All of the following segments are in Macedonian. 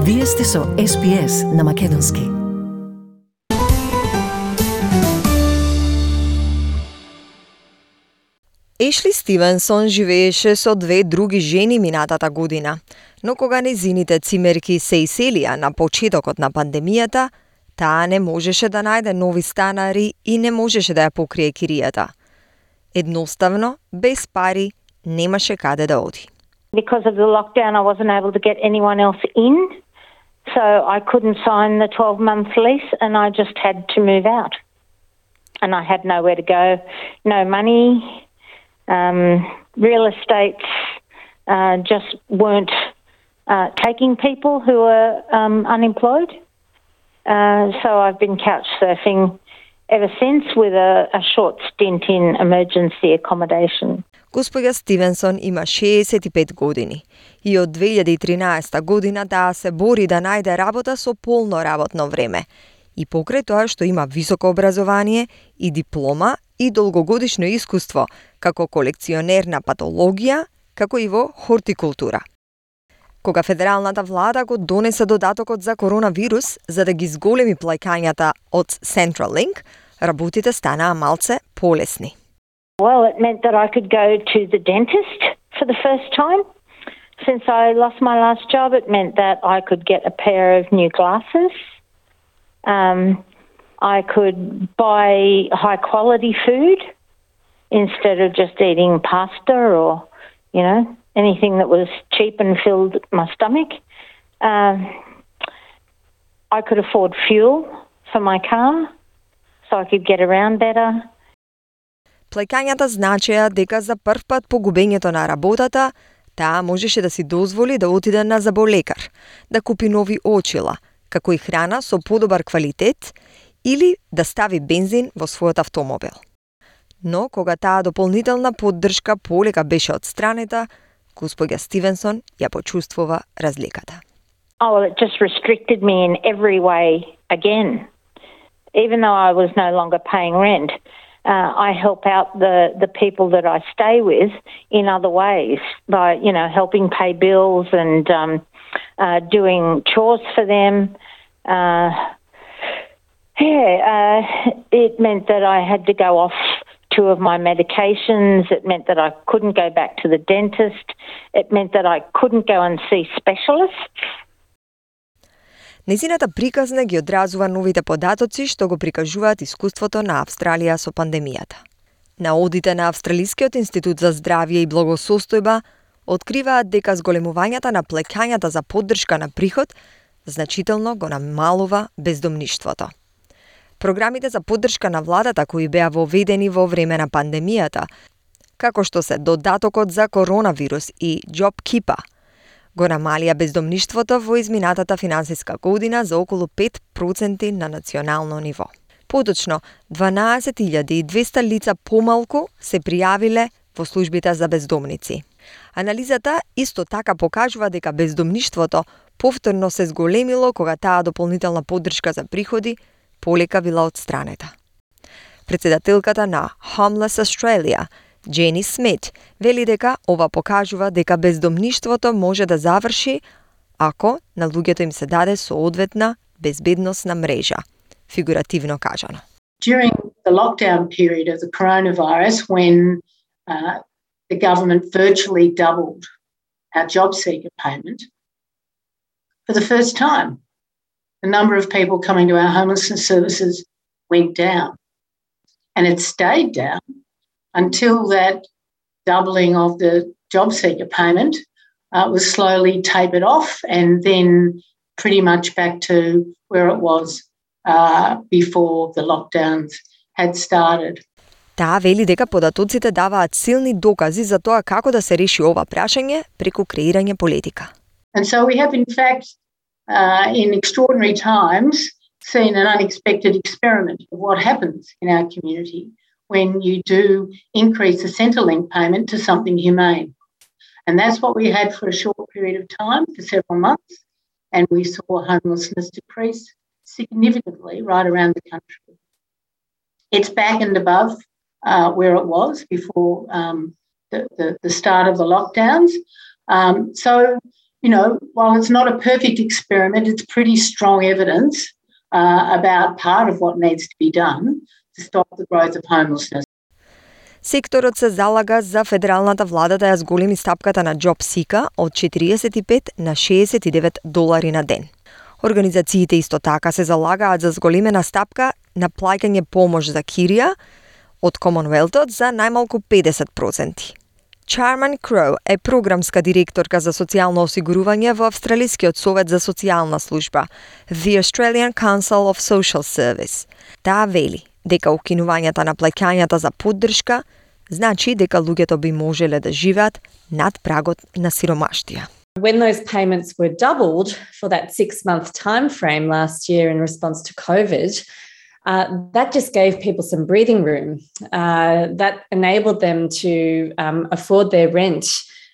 Вие сте со SPS на Македонски. Ешли Стивенсон живееше со две други жени минатата година, но кога незините цимерки се иселија на почетокот на пандемијата, таа не можеше да најде нови станари и не можеше да ја покрие киријата. Едноставно, без пари, немаше каде да оди. Because of the lockdown, I wasn't able to get anyone else in, so I couldn't sign the 12-month lease and I just had to move out. And I had nowhere to go, no money, real estates just weren't taking people who were unemployed. So I've been couch surfing ever since with a short stint in emergency accommodation. Господја Стивенсон има 65 години и од 2013 година таа се бори да најде работа со полно работно време. И покрај тоа што има високо образование и диплома и долгогодишно искуство како колекционер на патологија, како и во хортикултура. Кога федералната влада го донесе додатокот за коронавирус за да ги зголеми плаќањата од Centrelink, работите станаа малце полесни. Well, it meant that I could go to the dentist for the first time. Since I lost my last job, it meant that I could get a pair of new glasses. I could buy high quality food instead of just eating pasta or, anything that was cheap and filled my stomach. I could afford fuel for my car so I could get around better. Плаќањата значеа дека за прв пат по губењето на работата, таа можеше да си дозволи да отиде на заболекар, да купи нови очила, како и храна со подобар квалитет или да стави бензин во својот автомобил. Но кога таа дополнителна поддршка полека беше одстранета, господја Стивенсон ја почувствува разликата. Oh, well, it just restricted me in every way again. Even though I was no longer paying rent, I help out the people that I stay with in other ways by, helping pay bills and doing chores for them. It meant that I had to go off 2 of my medications. It meant that I couldn't go back to the dentist. It meant that I couldn't go and see specialists. Незината приказна ги одразува новите податоци што го прикажуваат искуството на Австралија со пандемијата. Наодите на Австралискиот институт за здравје и благосостојба откриваат дека зголемувањата на плаќањата за поддршка на приход значително го намалува бездомништвото. Програмите за поддршка на владата кои беа воведени во време на пандемијата, како што се додатокот за коронавирус и JobKeeper, го намалија бездомништвото во изминатата финансиска година за околу 5% на национално ниво. Поточно, 12.200 лица помалку се пријавиле во службите за бездомници. Анализата исто така покажува дека бездомништвото повторно се зголемило кога таа дополнителна поддршка за приходи полека била одстранета. Председателката на Homeless Australia, Джени Смит, вели дека ова покажува дека бездомништвото може да заврши ако на луѓето им се даде соодветна безбедносна мрежа, фигуративно кажано. During the lockdown period of the coronavirus, when the government virtually doubled our job seeker payment, for the first time, the number of people coming to our homelessness services went down. And it stayed down until that doubling of the job seeker payment was slowly tapered off and then pretty much back to where it was before the lockdowns had started. Таа вели дека податоците даваат силни докази за тоа како да се реши ова прашање преку креирање политика. And so we have in fact in extraordinary times seen an unexpected experiment of what happens in our community when you do increase the Centrelink payment to something humane. And that's what we had for a short period of time, for several months, and we saw homelessness decrease significantly right around the country. It's back and above where it was before the start of the lockdowns. So while it's not a perfect experiment, it's pretty strong evidence about part of what needs to be done to stop the growth of homelessness. Секторот се залага за федералната влада да ја зголеми стапката на JobSeeker од 45 на $69 на ден. Организациите исто така се залагаат за зголемена стапка на плаќање помош за кирија од Комонвелтот за најмалку 50%. Charman Crow е програмска директорка за социјално осигурување во Австралискиот совет за социјална служба, The Australian Council of Social Service. Таа вели дека укинувањата на плаќањата за поддршка значи дека луѓето би можеле да живеат над прагот на сиромаштија. When those payments were doubled for that 6-month time frame last year in response to COVID, that just gave people some breathing room. That enabled them to afford their rent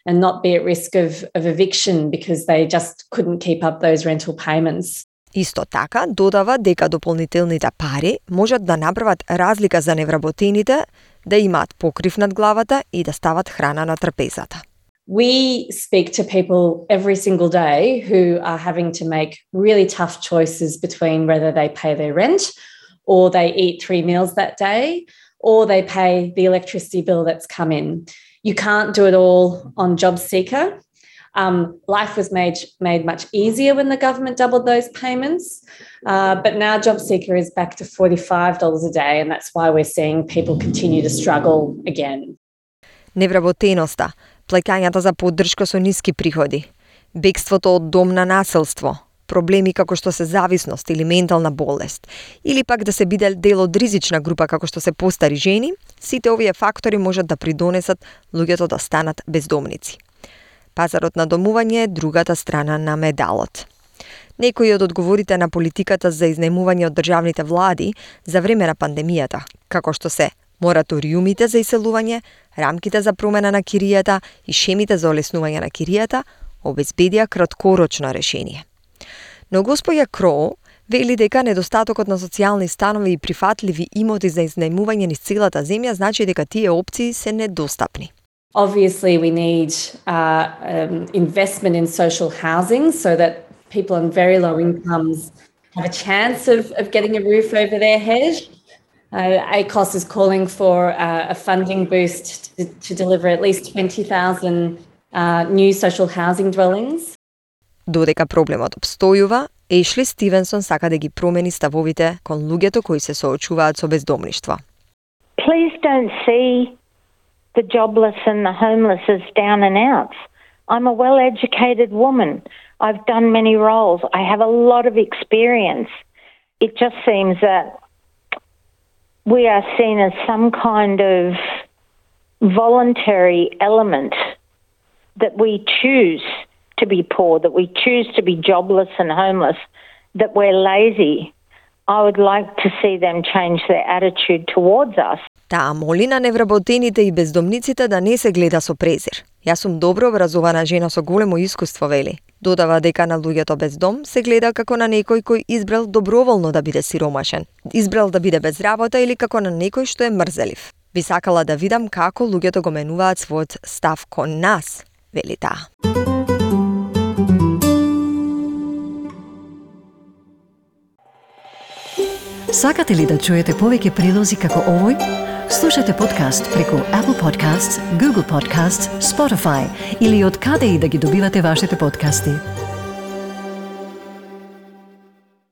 and not be at risk of eviction because they just couldn't keep up those rental payments. Исто така додава дека дополнителните пари можат да направат разлика за невработените, да имаат покрив над главата и да стават храна на трпезата. We speak to people every single day who are having to make really tough choices between whether they pay their rent or they eat 3 meals that day or they pay the electricity bill that's come in. You can't do it all on JobSeeker. Life was made much easier when the government doubled those payments, but now JobSeeker is back to $45 a day, and that's why we're seeing people continue to struggle again. Невработеноста, плаќањата за поддршка со ниски приходи, бегството од дом на насилство, проблеми како што се зависност или ментална болест, или пак да се биде дел од ризична група како што се постари жени, сите овие фактори можат да придонесат луѓето да станат бездомници. Пазарот на домување е другата страна на медалот. Некои од одговорите на политиката за изнајмување од државните влади за време на пандемијата, како што се мораториумите за иселување, рамките за промена на киријата и шемите за олеснување на киријата, обезбедија краткорочно решение. Но господја Кроу вели дека недостатокот на социјални станови и прифатливи имоти за изнајмување низ целата земја значи дека тие опции се недостапни. Obviously, we need investment in social housing so that people on very low incomes have a chance of getting a roof over their head. ACOS is calling for a funding boost to deliver at least 20,000 new social housing dwellings. Додека проблемот обстојува, Ешли Стивенсон сака да ги промени ставовите кон луѓето кои се соочуваат со бездомништво. Please don't see the jobless and the homeless as down and outs. I'm a well-educated woman. I've done many roles. I have a lot of experience. It just seems that we are seen as some kind of voluntary element that we choose to be poor, that we choose to be jobless and homeless, that we're lazy. I would like to see them change their attitude towards us. Таа моли на невработените и бездомниците да не се гледа со презир. Јас сум добро образована жена со големо искуство, вели. Додава дека на луѓето без дом се гледа како на некој кој избрал доброволно да биде сиромашен, избрал да биде без работа или како на некој што е мрзелив. Би сакала да видам како луѓето го менуваат својот став кон нас, вели таа. Сакате ли да чуете повеќе прилози како овој? Слушате подкаст преку Apple Podcasts, Google Podcasts, Spotify или од каде и да ги добивате вашите подкасти.